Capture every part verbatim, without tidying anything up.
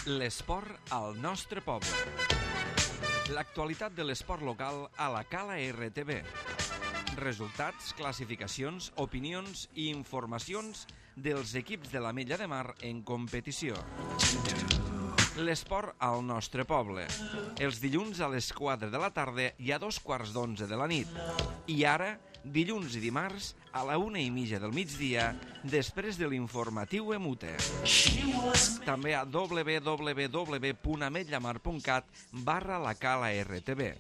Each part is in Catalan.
L'esport al nostre poble. L'actualitat de l'esport local a la Cala R T V. Resultats, classificacions, opinions i informacions dels equips de l'Ametlla de Mar en competició. L'esport al nostre poble. Els dilluns a les quatre de la tarda i a dos quarts d'onze de la nit. I ara, dilluns i dimarts, a la una i mitja del migdia, després de l'informatiu Emute. També a w w w punt ametllamar punt cat barra la Cala R T V.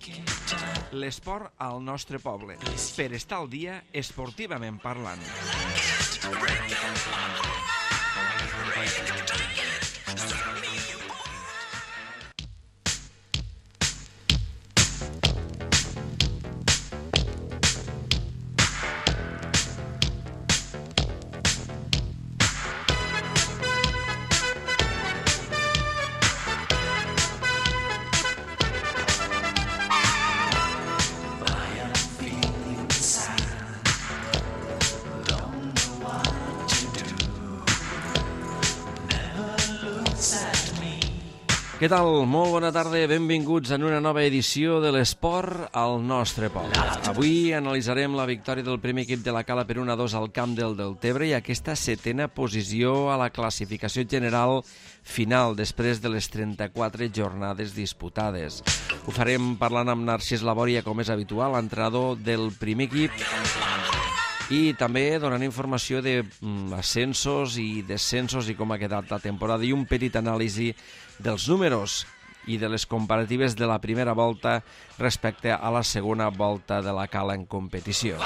L'esport al nostre poble, per estar al dia esportivament parlant. Què tal? Molt bona tarda, benvinguts en una nova edició de l'esport al nostre poble. Avui analitzarem la victòria del primer equip de la Cala per un a dos al camp del Deltebre i aquesta setena posició a la classificació general final després de les trenta-quatre jornades disputades. Ho farem parlant amb Narcís Labòria, com és habitual, l'entrenador del primer equip, i també donant informació d'ascensos i descensos i com ha quedat la temporada i un petit anàlisi dels números i de les comparatives de la primera volta respecte a la segona volta de la Cala en competició.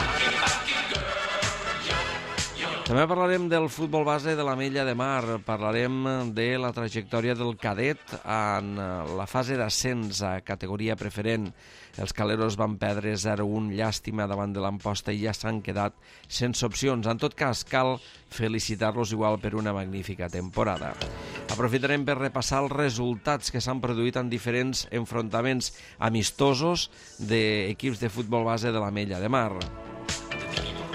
També parlarem del futbol base de l'Ametlla de Mar, parlarem de la trajectòria del cadet en la fase d'ascens a categoria preferent. Els caleros van perdre zero a un, llàstima davant de l'Amposta i ja s'han quedat sense opcions. En tot cas, cal felicitar-los igual per una magnífica temporada. Aprofitarem per repassar els resultats que s'han produït en diferents enfrontaments amistosos d'equips de futbol base de l'Ametlla de Mar.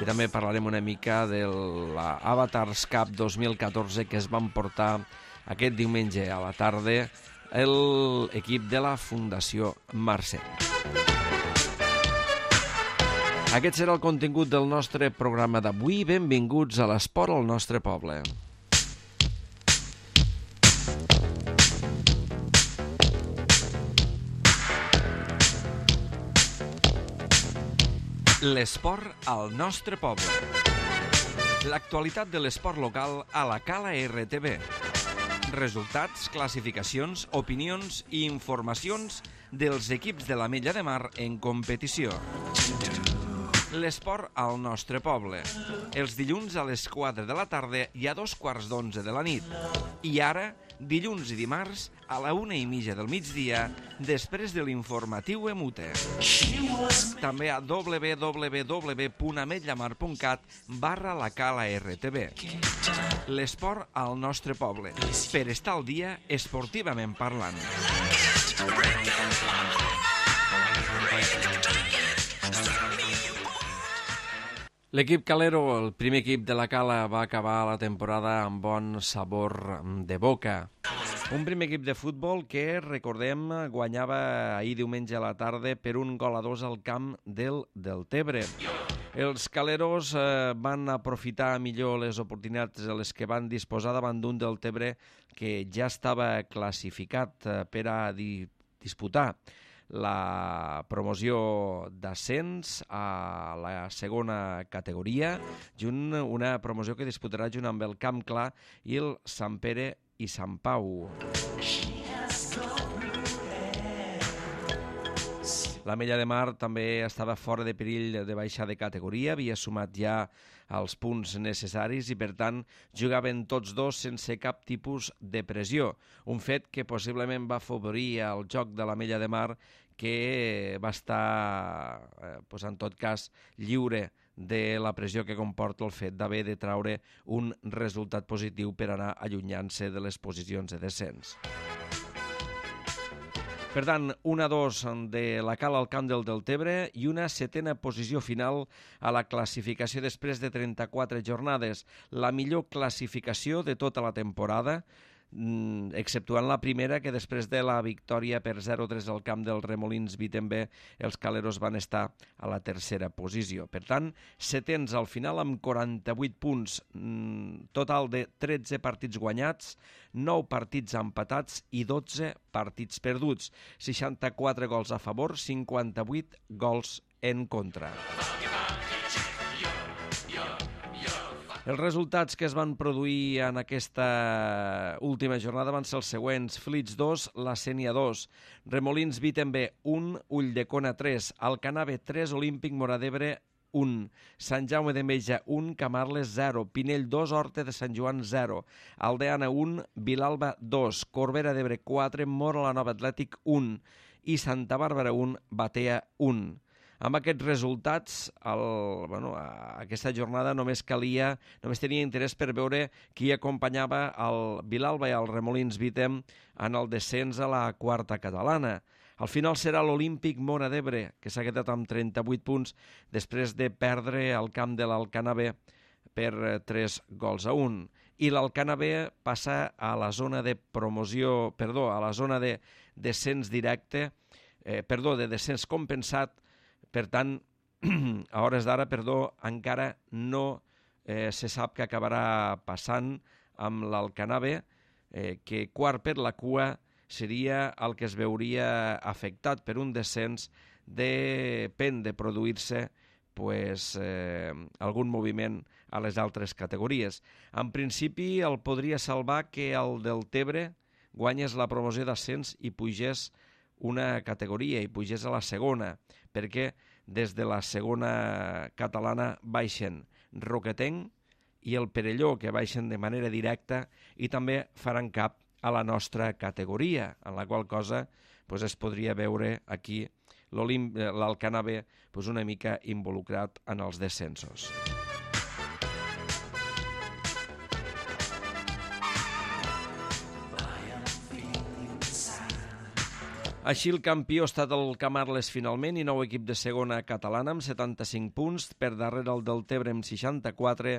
I també parlarem una mica de l'Avatars Cup dos mil catorze que es van portar aquest diumenge a la tarda l'equip de la Fundació Mercè. Aquest serà el contingut del nostre programa d'avui. Benvinguts a l'esport al nostre poble. L'esport al nostre poble. L'actualitat de l'esport local a la Cala R T V. Resultats, classificacions, opinions i informacions dels equips de l'Ametlla de Mar en competició. L'esport al nostre poble. Els dilluns a les quatre de la tarda i a dos quarts d'onze de la nit. I ara, dilluns i dimarts, a la una i mitja del migdia, després de l'informatiu Emute. També a w w w punt ametllamar punt cat barra la Cala R T V. L'esport al nostre poble, per estar al dia esportivament parlant. L'equip calero, el primer equip de la Cala, va acabar la temporada amb bon sabor de boca. Un primer equip de futbol que, recordem, guanyava ahir diumenge a la tarda per un gol a dos al camp del Deltebre. Els caleros eh, van aprofitar millor les oportunitats de les que van disposar davant d'un Deltebre que ja estava classificat eh, per a di disputar la promoció d'ascens a la segona categoria, junt una promoció que disputarà junt amb el Camp Clar i el Sant Pere i Sant Pau. L'Ametlla de Mar també estava fora de perill de baixar de categoria, havia sumat ja els punts necessaris i, per tant, jugaven tots dos sense cap tipus de pressió. Un fet que possiblement va afavorir el joc de l'Ametlla de Mar, que va estar, eh, doncs, en tot cas, lliure de la pressió que comporta el fet d'haver de traure un resultat positiu per anar allunyant-se de les posicions de descens. Per tant, un a dos de la Cala al camp del Deltebre i una setena posició final a la classificació després de trenta-quatre jornades. La millor classificació de tota la temporada, exceptuant la primera, que després de la victòria per zero tres al camp del Remolins Vitembe, els caleros van estar a la tercera posició. Per tant, setens al final amb quaranta-vuit punts, total de tretze partits guanyats, nou partits empatats i dotze partits perduts, seixanta-quatre gols a favor, cinquanta-vuit gols en contra. Els resultats que es van produir en aquesta última jornada van ser els següents: Flix dos, La Sénia dos, Remolins Vitembe un, Ulldecona tres, Alcanave tres, Olímpic Móra d'Ebre un, Sant Jaume d'Enveja un, Camarles zero, Pinell dos, Horta de Sant Joan zero, Aldeana un, Vilalba dos, Corbera d'Ebre quatre, Móra la Nova Atlètic un i Santa Bàrbara un, Batea un. Amb aquests resultats, el, bueno, aquesta jornada només calia, només tenia interès per veure qui acompanyava el Vilalba i el Remolins Vitem en el descens a la quarta catalana. Al final serà l'Olímpic Móra d'Ebre, que s'ha quedat amb trenta-vuit punts després de perdre al camp de l'Alcanave per tres gols a un. I l'Alcanave passa a la zona de promoció, perdó, a la zona de descens directe, eh, perdó, de descens compensat. Per tant, a hores d'ara, perdó, encara no eh, se sap què acabarà passant amb l'Alcanave, eh, que quart per la cua seria el que es veuria afectat per un descens, depèn de produir-se pues, eh, algun moviment a les altres categories. En principi, el podria salvar que el del Tebre guanyés la promoció d'ascens i pugés una categoria i pugés a la segona, perquè des de la segona catalana baixen Roquetenc i el Perelló, que baixen de manera directa i també faran cap a la nostra categoria, en la qual cosa pues, es podria veure aquí l'Alcanave pues, una mica involucrat en els descensos. Així el campió ha estat el Camarles finalment i nou equip de segona catalana amb setanta-cinc punts, per darrere el del Tebre amb seixanta-quatre,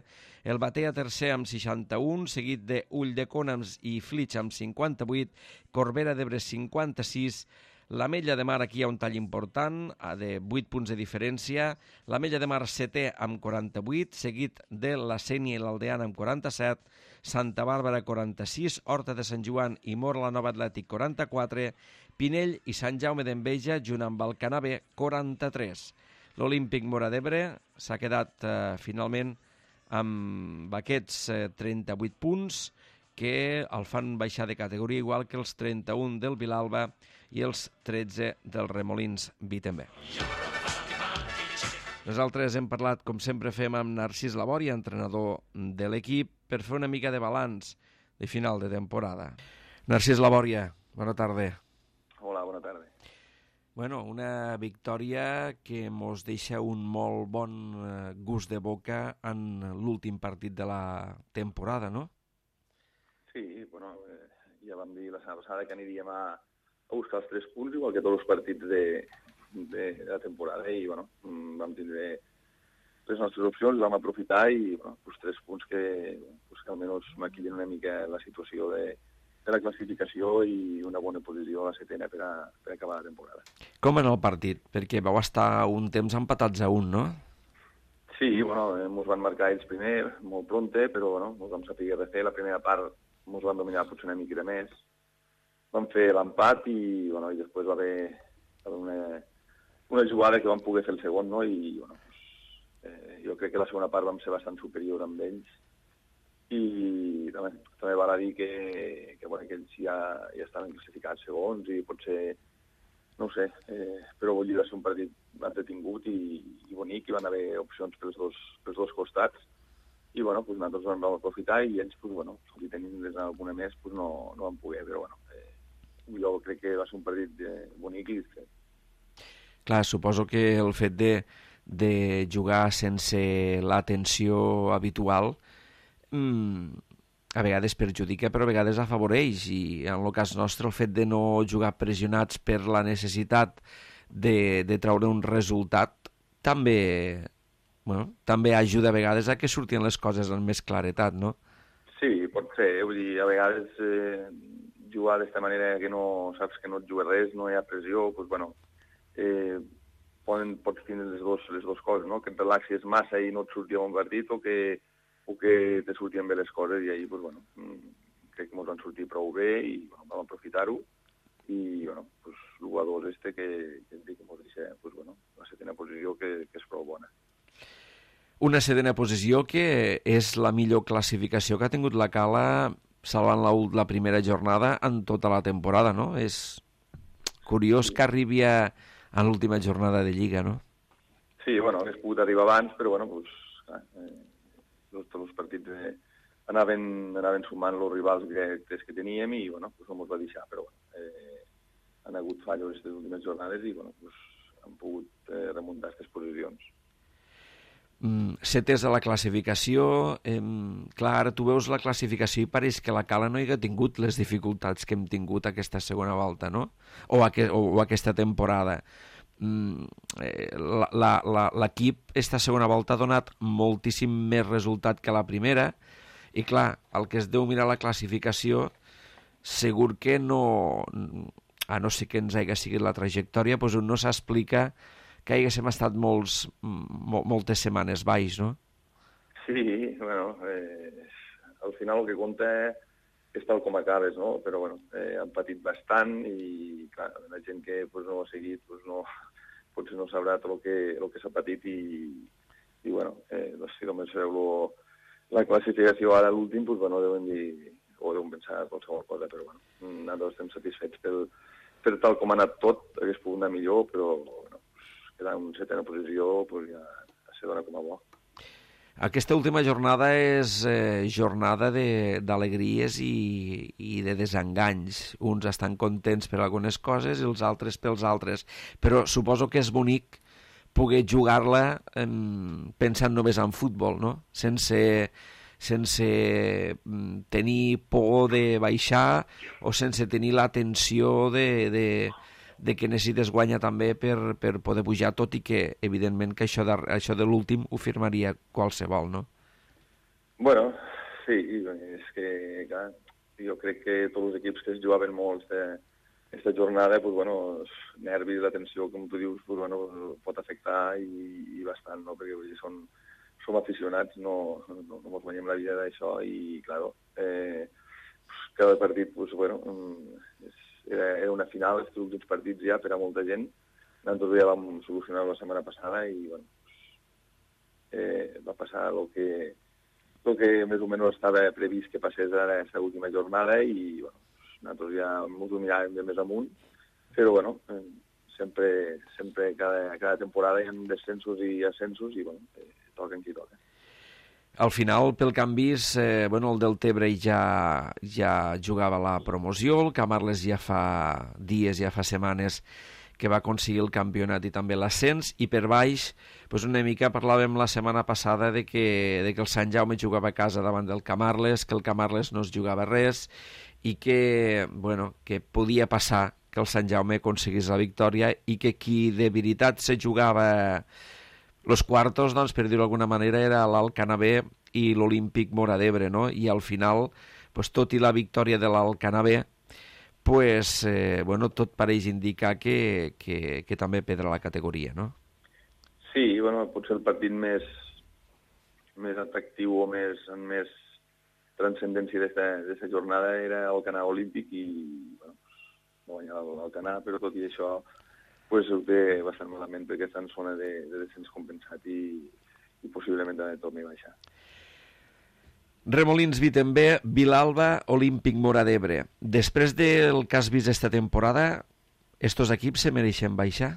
el Batea tercer amb seixanta-un, seguit de Ulldecona i Flix amb cinquanta-vuit, Corbera d'Ebre cinquanta-sis, l'Ametlla de Mar aquí hi ha un tall important, de vuit punts de diferència, l'Ametlla de Mar setè amb quaranta-vuit, seguit de la Sénia i l'Aldeana amb quaranta-set, Santa Bàrbara quaranta-sis, Horta de Sant Joan i Móra la Nova Atlètic quaranta-quatre, Pinell i Sant Jaume d'Enveja, junt amb Alcanave, quaranta-tres. L'Olímpic Móra d'Ebre s'ha quedat eh, finalment amb aquests eh, trenta-vuit punts que el fan baixar de categoria, igual que els trenta-un del Vilalba i els tretze del Remolins Vitembe. Nosaltres hem parlat, com sempre fem, amb Narcís Labòria, entrenador de l'equip, per fer una mica de balanç de final de temporada. Narcís Labòria, bona tarda. Hola, bona tarda. Bueno, una victòria que mos deixa un molt bon gust de boca en l'últim partit de la temporada, no? Sí, bueno, eh, ja vam dir la setmana passada que aniríem a, a buscar els tres punts, igual que tots els partits de, de, de la temporada, i bueno, vam tindre les nostres opcions, vam aprofitar i bueno, pues, tres punts que, pues, que almenys maquillen una mica la situació de, de la classificació i una bona posició a la setena per, a, per acabar la temporada. Com en el partit? Perquè vau estar un temps empatats a un, no? Sí, bueno, ens van marcar ells primer, molt pronte, però bueno, ens vam saber de fer. La primera part ens van dominar potser una mica més. Vam fer l'empat i, bueno, i després va haver, va haver una, una jugada que vam poder fer el segon, no? I bueno, pues, eh, jo crec que la segona part vam ser bastant superior amb ells. I també, també val a dir que, que, bueno, que ells ja, ja estaven classificats segons i potser, no ho sé, eh, però vull dir, va ser un partit entretingut i, i bonic, i van haver opcions pels dos, pels dos costats. I bueno, pues nosaltres vam aprofitar i ells, pues, bueno, si tenim alguna més, pues no, no vam poder, però bueno, eh, jo crec que va ser un partit eh, bonic i discret. Clar, suposo que el fet de, de jugar sense l'atenció habitual mmm, a vegades perjudica, però a vegades afavoreix, i en el cas nostre el fet de no jugar pressionats per la necessitat de, de treure un resultat també... Bueno, també ajuda a vegades a que surtin les coses amb més claretat, no? Sí, pot, ser, vull dir, a vegades eh, jugar d'aquesta manera que no saps que no et jugues res, no hi ha pressió, doncs, bueno, eh, poden, pots tindre les dues les dos coses, no? Que et relaxis massa i no et surti un partit o que, o que te surtien bé les coses i ahir, doncs, bueno, crec que ens van sortir prou bé i bueno, vam aprofitar-ho i, bueno, pues, el jugador este que, que et dic que ens deixa, pues, bueno, la setena posició que, que és prou bona. Una setena posició que és la millor classificació que ha tingut la Cala salvant la, la primera jornada en tota la temporada, no? És curiós sí. que arribi a, a l'última jornada de Lliga, no? Sí, bueno, hagués pogut arribar abans, però bueno, pues, eh, tots els partits eh, anaven, anaven sumant els rivals directes que teníem i bueno, pues, no ens va deixar, però bueno, eh, han hagut fallos aquestes últimes jornades i bueno, pues, han pogut eh, remuntar aquestes posicions. Mm, setes a la classificació, eh, clar, ara tu veus la classificació i pareix que la Cala no hi ha tingut les dificultats que hem tingut aquesta segona volta, no? O, aqu o, o aquesta temporada. Mm, eh, l'equip esta segona volta ha donat moltíssim més resultat que la primera i clar, el que es deu mirar la classificació segur que no, a no ser que ens hagi seguit la trajectòria, doncs no s'explica que haguéssim estat molts, mol, moltes setmanes baix, no? Sí, bueno, eh, al final el que compta és tal com acabes, no? Però, bueno, eh, han patit bastant i, clar, la gent que pues, no ho ha seguit, pues, no, potser no sabrà tot el que, el que s'ha patit i, i bueno, eh, doncs, si només veu lo, la classificació ara a l'últim, pues, bueno, deuen dir, o deuen pensar qualsevol cosa, però, bueno, nosaltres estem satisfets pel, per tal com ha anat tot, hagués pogut anar millor, però, bueno, quedar en setena posició, pues, ja se dona com a bo. Aquesta última jornada és eh, jornada d'alegries i, i de desenganys. Uns estan contents per algunes coses i els altres pels altres. Però suposo que és bonic poder jugar-la eh, pensant només en futbol, no? Sense, sense tenir por de baixar o sense tenir la tensió de... de de que necessites guanyar també per, per poder pujar, tot i que, evidentment, que això de, això de l'últim ho firmaria qualsevol, no? Bueno, sí, és que, clar, jo crec que tots els equips que es jugaven molt aquesta jornada, pues, bueno, els nervis, la tensió, com tu dius, pues, bueno, pot afectar i, i bastant, no? Perquè vull dir, som, som aficionats, no, no, no ens guanyem la vida d'això i, clar, eh, cada partit, pues, bueno, és Era, era una final, els últims partits ja per a molta gent. Nosaltres ja vam solucionar la setmana passada i bueno, eh, va passar el que, el que més o menys estava previst que passés ara aquesta última jornada i bueno, nosaltres ja ens ho miràvem de més amunt, però bueno, eh, sempre, sempre cada, cada temporada hi ha descensos i ascensos i bueno, eh, toquen qui toca. Al final, pel que han vist, eh, bueno, el Deltebre ja, ja jugava la promoció, el Camarles ja fa dies, ja fa setmanes que va aconseguir el campionat i també l'ascens, i per baix, doncs una mica parlàvem la setmana passada de que, de que el Sant Jaume jugava a casa davant del Camarles, que el Camarles no es jugava res, i que, bueno, que podia passar que el Sant Jaume aconseguís la victòria i que qui de veritat se jugava los quartos, doncs, per dir-ho d'alguna manera, era l'Alcanabé i l'Olímpic Móra d'Ebre, no? I al final, pues, tot i la victòria de l'Alcanabé, pues, eh, bueno, tot pareix indicar que, que, que també perdrà la categoria, no? Sí, bueno, potser el partit més, més atractiu o més, amb més transcendència d'aquesta jornada era el Canà Olímpic i, bueno, no guanyar l'Alcanà, però tot i això pues ho té bastant malament perquè està en zona de, de descens compensat i, i possiblement també torni a baixar. Remolins Vitembé, Vilalba, Olímpic Móra d'Ebre. Després del que has vist esta temporada, estos equips se mereixen baixar?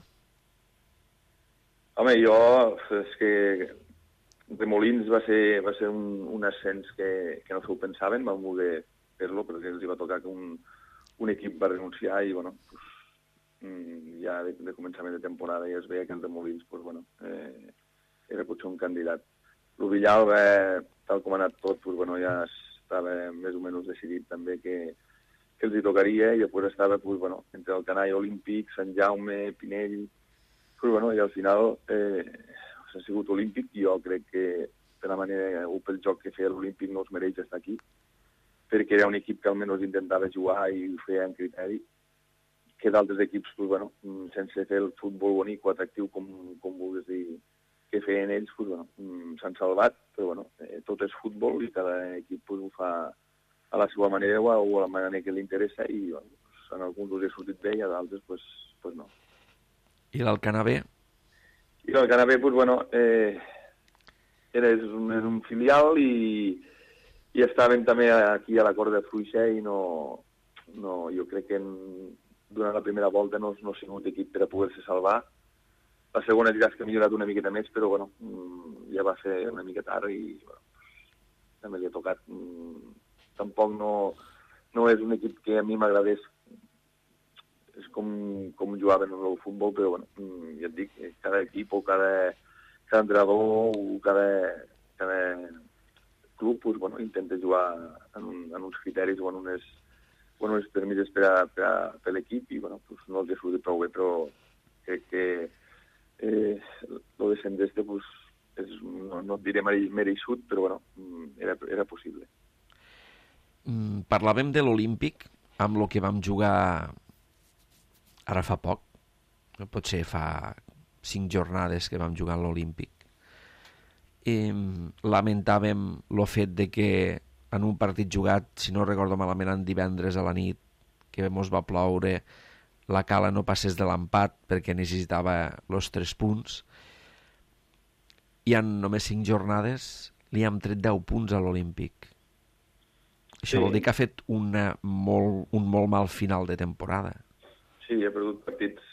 Home, jo, és que Remolins va ser, va ser un, un ascens que, que no s'ho pensaven, van voler fer-lo perquè els va tocar que un, un equip va renunciar i, bueno, pues, ja de, de començament de temporada ja es veia que el de Molins pues, bueno, eh, era potser un candidat. El Villalba, tal com ha anat tot, pues, bueno, ja estava més o menys decidit també que, que els hi tocaria i després estava pues, bueno, entre el Canà Olímpic, Sant Jaume, Pinell, pues, bueno, i al final eh, ha sigut Olímpic i jo crec que de la manera o pel joc que feia l'Olímpic no es mereix estar aquí perquè era un equip que almenys intentava jugar i ho feia en criteri, que d'altres equips, pues, bueno, sense fer el futbol bonic o atractiu, com, com vulguis dir, que feien ells, pues, bueno, s'han salvat, però bueno, eh, tot és futbol i cada equip pues, ho fa a la seva manera o a, o a la manera que li interessa i bueno, pues, en alguns els ha sortit bé i a d'altres pues, pues no. I l'Alcanar B? I l'Alcanar B, pues, bueno, eh, era, és, un, és un filial i, i estaven també aquí a la Cort de Fluixer i no, no, jo crec que en, durant la primera volta no, no ha sigut equip per a poder-se salvar. La segona diràs que ha millorat una miqueta més, però bueno, ja va ser una mica tard i bueno, també li ha tocat. Tampoc no, no és un equip que a mi m'agradés, és com, com jugaven en el futbol, però bueno, ja et dic, cada equip o cada, cada entrenador o cada, cada club pues, bueno, intenta jugar en, un, en uns criteris o en unes, o en unes permises per a, per a, per l'equip i bueno, pues, no els ha sortit prou bé, però crec que eh, el descens d'este pues, és, no, no et diré mereixut, però bueno, era, era possible. Mm, parlàvem de l'Olímpic amb el que vam jugar ara fa poc, potser fa cinc jornades que vam jugar a l'Olímpic. I lamentàvem el fet de que en un partit jugat, si no recordo malament, en divendres a la nit, que mos va ploure, la Cala no passés de l'empat perquè necessitava els tres punts, i en només cinc jornades li hem tret deu punts a l'Olímpic. Això sí. Vol dir que ha fet una molt, un molt mal final de temporada. Sí, ha perdut partits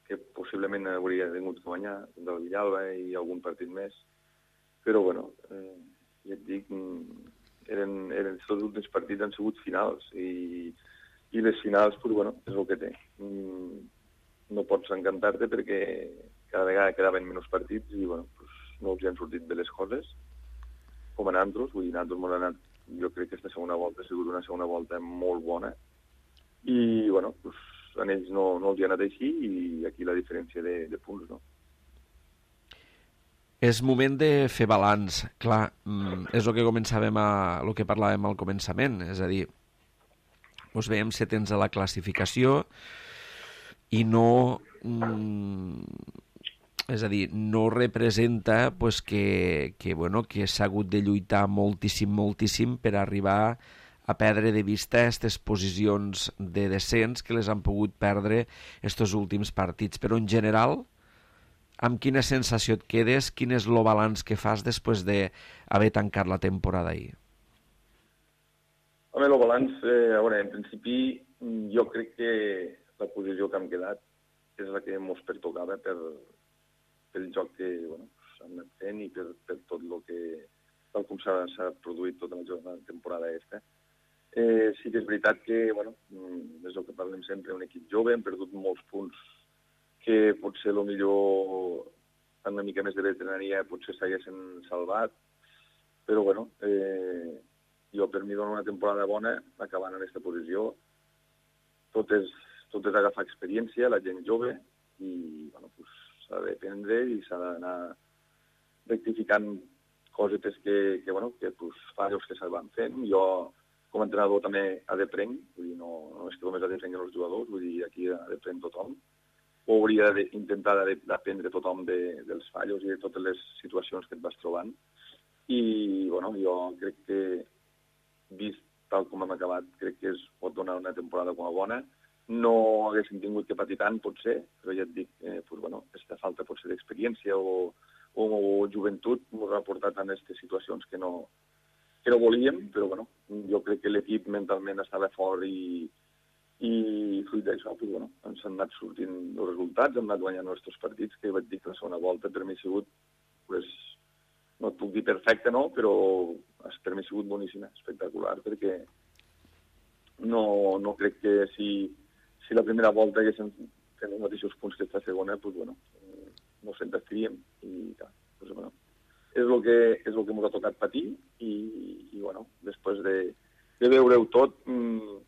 que possiblement hauria tingut que guanyar, del Villalba i algun partit més, però bueno, eh, ja et dic, eren, eren tots els últims partits han sigut finals i, i les finals, pues, bueno, és el que té. No pots encantar-te perquè cada vegada quedaven menys partits i bueno, pues, no els han sortit bé les coses, com a nosaltres, vull dir, nosaltres m'ho han anat, jo crec que aquesta segona volta ha sigut una segona volta molt bona i bueno, pues, en ells no, no els hi ha anat així i aquí la diferència de, de punts, no? És moment de fer balanç, clar, és el que començàvem a, el que parlàvem al començament, és a dir, ens veiem setens a la classificació i no, és a dir, no representa pues, que, que, bueno, que s'ha hagut de lluitar moltíssim, moltíssim per arribar a perdre de vista aquestes posicions de descens que les han pogut perdre estos últims partits, però en general, amb quina sensació et quedes? Quin és el balanç que fas després d'haver tancat la temporada ahir? Home, el balanç, eh, a veure, en principi, jo crec que la posició que hem quedat és la que ens pertocava per, pel joc que bueno, s'ha anat fent i per, per tot el que, tal com s'ha produït tota la temporada aquesta. Eh, sí que és veritat que, bueno, és el que parlem sempre, un equip jove, hem perdut molts punts que potser el millor amb una mica més de veterania potser s'haguessin salvat, però bueno, eh, jo per mi dono una temporada bona acabant en aquesta posició. Tot és, tot és agafar experiència, la gent jove, i bueno, pues, s'ha d'aprendre i s'ha d'anar rectificant cosetes que, que, bueno, que pues, fallos que se van fent. Jo, com a entrenador, també ha d'aprendre, vull dir, no, no és que només ha d'aprendre els jugadors, vull dir, aquí ha d'aprendre tothom. O hauria d'intentar d'aprendre tothom de, dels fallos i de totes les situacions que et vas trobant. I, bueno, jo crec que, vist tal com hem acabat, crec que es pot donar una temporada com a bona. No haguéssim tingut que patir tant, potser, però ja et dic, eh, pues, bueno, aquesta falta potser d'experiència o, o, o joventut ens ha portat a aquestes situacions que no, que no volíem, però bueno, jo crec que l'equip mentalment estava fort i i fruit d'això, pues, bueno, ens han anat sortint els resultats, hem anat guanyant els nostres partits, que vaig dir que la segona volta per mi ha sigut, pues, no et puc dir perfecte, no, però per mi ha sigut boníssima, espectacular, perquè no, no crec que si, si la primera volta haguéssim fet els mateixos punts que esta segona, pues, bueno, no se'n destaríem, i pues, bueno, és el que, és el que ens ha tocat patir, i, i bueno, després de, de veure-ho tot, mmm,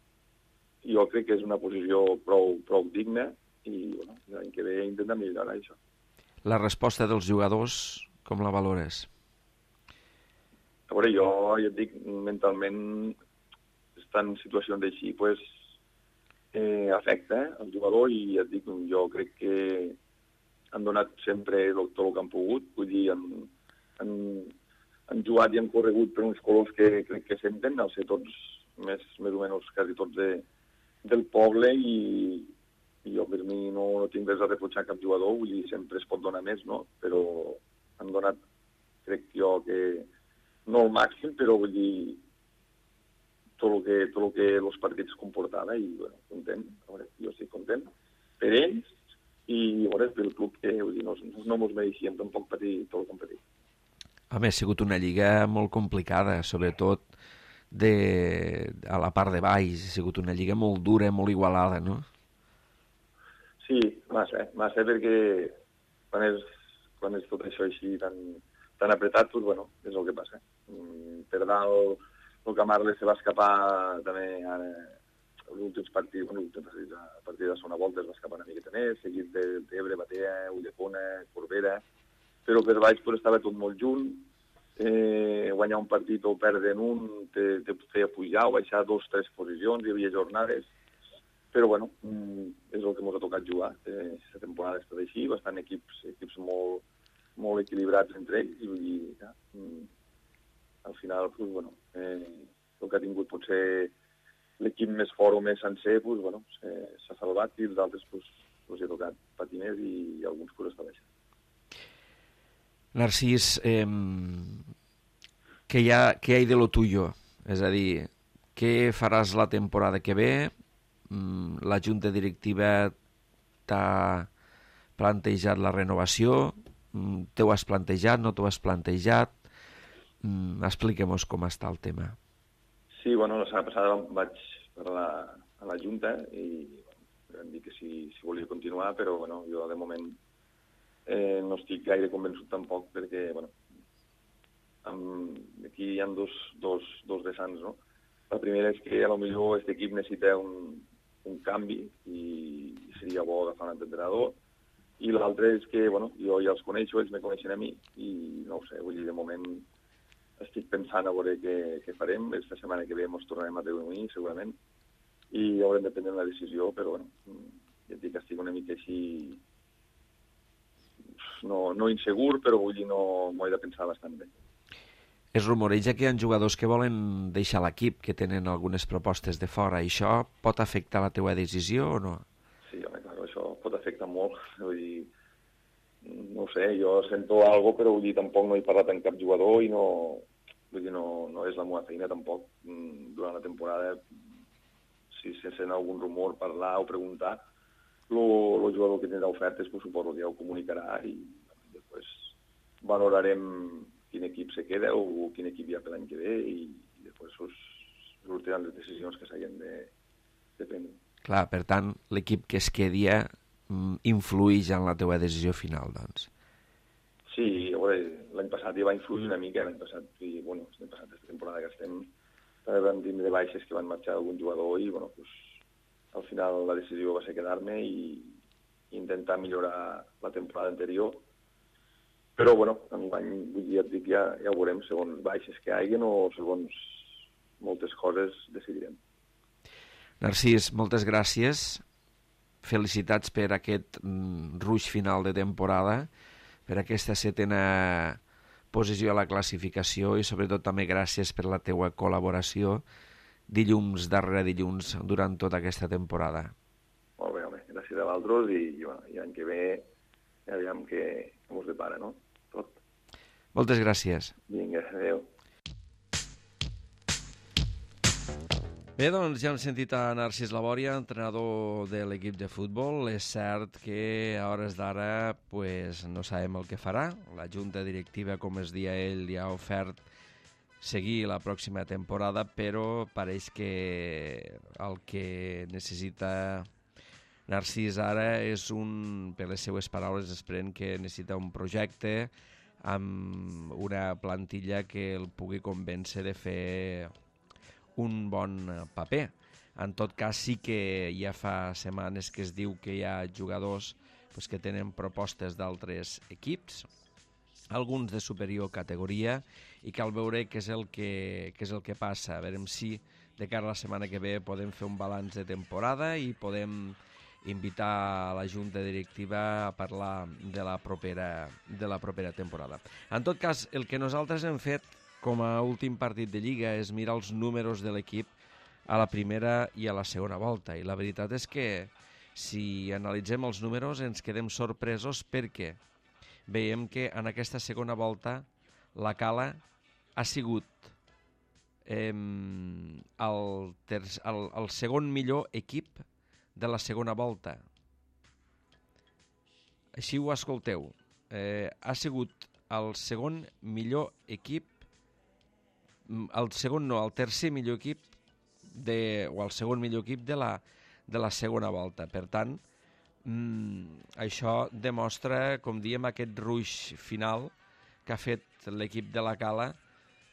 jo crec que és una posició prou, prou digna i bueno, l'any que ve intentar millorar això. La resposta dels jugadors, com la valores? A veure, jo ja et dic, mentalment estan en situacions així, pues, eh, afecta eh, el jugador, i et dic, jo crec que han donat sempre tot el que han pogut, vull dir, han, han, han jugat i han corregut per uns colors que crec que senten, al ser tots més, més o menys quasi tots de, del poble, i, i jo per mi no, no tinc res a reprotxar cap jugador, vull dir, sempre es pot donar més, no? Però han donat, crec jo, que no el màxim, però vull dir, tot el que, tot el que els partits comportava, i bueno, content, veure, jo estic content per ells, i veure, pel club, que vull dir, no, no mos mereixíem tampoc patir tot el que hem patit. Home, ha sigut una lliga molt complicada, sobretot de, a la part de baix, ha sigut una lliga molt dura, molt igualada, no? Sí, massa, massa, perquè quan és, quan és tot això així tan, tan apretat, doncs, bueno, és el que passa. Per dalt, el Camarles se va escapar també ara, els últims partits, bueno, a partir de la segona volta es va escapar una miqueta més, seguit d'Ebre, Batea, Ulldecona, Corbera, però per baix pues, estava tot molt junt, eh, guanyar un partit o perdre en un te, te feia pujar o baixar dos o tres posicions, hi havia jornades, però bueno, és el que ens ha tocat jugar. Aquesta temporada ha estat així, bastant equips, equips molt, molt equilibrats entre ells, i vull dir, ja, al final, pues, bueno, eh, el que ha tingut potser l'equip més fort o més sencer, pues, bueno, s'ha salvat, i els altres pues, pues, hi ha tocat patir més, i alguns pues, està baixant. Narcís, eh, què hi ha, què hi ha de lo tuyo? És a dir, què faràs la temporada que ve? La junta directiva t'ha plantejat la renovació? T'ho has plantejat, no t'ho has plantejat? Expliquem-nos com està el tema. Sí, bueno, la setmana passada vaig parlar a la junta i bueno, vam dir que si, si volia continuar, però bueno, jo de moment eh, no estic gaire convençut tampoc, perquè bueno, amb, aquí hi ha dos, dos, dos vessants, no? La primera és que potser aquest equip necessita un, un canvi i seria bo agafar un entrenador, i l'altre és que bueno, jo ja els coneixo, ells me coneixen a mi, i no ho sé, vull dir, de moment estic pensant a veure què, què farem. Esta setmana que ve ens tornarem a reunir, segurament, i haurem de prendre una decisió, però bueno, ja et dic que estic una mica així, no, no insegur, però vull dir, no m'ho he de pensar bastant bé. Es rumoreja que hi ha jugadors que volen deixar l'equip, que tenen algunes propostes de fora. Això pot afectar la teva decisió o no? Sí, home, clar, això pot afectar molt. Vull dir, no ho sé, jo sento alguna cosa, però vull dir, tampoc no he parlat amb cap jugador i no, vull dir, no, no és la meva feina tampoc. Durant la temporada, si se sent algun rumor, parlar o preguntar, el jugador que tindrà ofertes, pues, suposo que ja ho comunicarà, i després valorarem quin equip se queda o quin equip hi ha per l'any que ve, i, i després sortiran les decisions que s'hagin de, de prendre. Clar, per tant, l'equip que es quedi influeix en la teva decisió final, doncs. Sí, a veure, l'any passat ja va influir una mica, l'any passat, i, bueno, l'any passat, aquesta temporada que estem, vam tindre baixes que van marxar algun jugador, i, bueno, pues, al final la decisió va ser quedar-me i intentar millorar la temporada anterior. Però, bueno, enguany, vull dir, et dic, ja, ja ho veurem, segons baixes que hi hagin o segons moltes coses decidirem. Narcís, moltes gràcies. Felicitats per aquest mm, ruix final de temporada, per aquesta setena posició a la classificació, i sobretot també gràcies per la teua col·laboració dilluns darrere dilluns durant tota aquesta temporada. Molt bé, home, gràcies a vosaltres, i, i, bueno, i l'any que ve ja veiem què ens depara, no? Tot. Moltes gràcies. Vinga, adéu. Bé, doncs ja hem sentit a Narcís Labòria, entrenador de l'equip de futbol. És cert que a hores d'ara pues, no sabem el que farà. La junta directiva, com es dia ell, li ha ofert seguir la pròxima temporada, però pareix que el que necessita Narcís ara és un, per les seues paraules, esperem que necessita un projecte amb una plantilla que el pugui convèncer de fer un bon paper. En tot cas, sí que ja fa setmanes que es diu que hi ha jugadors pues, que tenen propostes d'altres equips, alguns de superior categoria, i cal veure què és el que, què és el que passa. A veure si de cara a la setmana que ve podem fer un balanç de temporada i podem invitar a la junta directiva a parlar de la propera, de la propera temporada. En tot cas, el que nosaltres hem fet com a últim partit de Lliga és mirar els números de l'equip a la primera i a la segona volta. I la veritat és que si analitzem els números ens quedem sorpresos perquè veiem que en aquesta segona volta la Cala ha sigut eh, el, ter el, el segon millor equip de la segona volta. Així ho escolteu. Eh, ha sigut el segon millor equip, el segon no, el tercer millor equip de, o el segon millor equip de la, de la segona volta. Per tant, mmm, això demostra, com diem, aquest ruix final que ha fet l'equip de la Cala,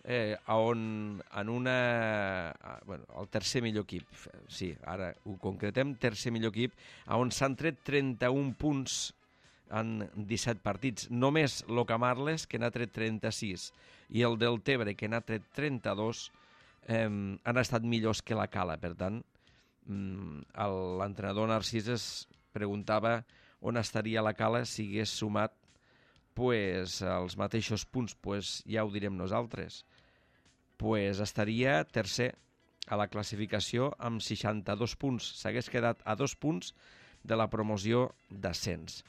eh, on en una... Bueno, el tercer millor equip, sí, ara ho concretem, tercer millor equip, on s'han tret trenta-un punts en disset partits. Només el Camarles, que n'ha tret trenta-sis, i el del Tebre, que n'ha tret trenta-dos, eh, han estat millors que la Cala. Per tant, l'entrenador Narcís es preguntava on estaria la Cala si hagués sumat pues, els mateixos punts. Pues, ja ho direm nosaltres. Pues, estaria tercer a la classificació amb seixanta-dos punts. S'hagués quedat a dos punts de la promoció d'ascens.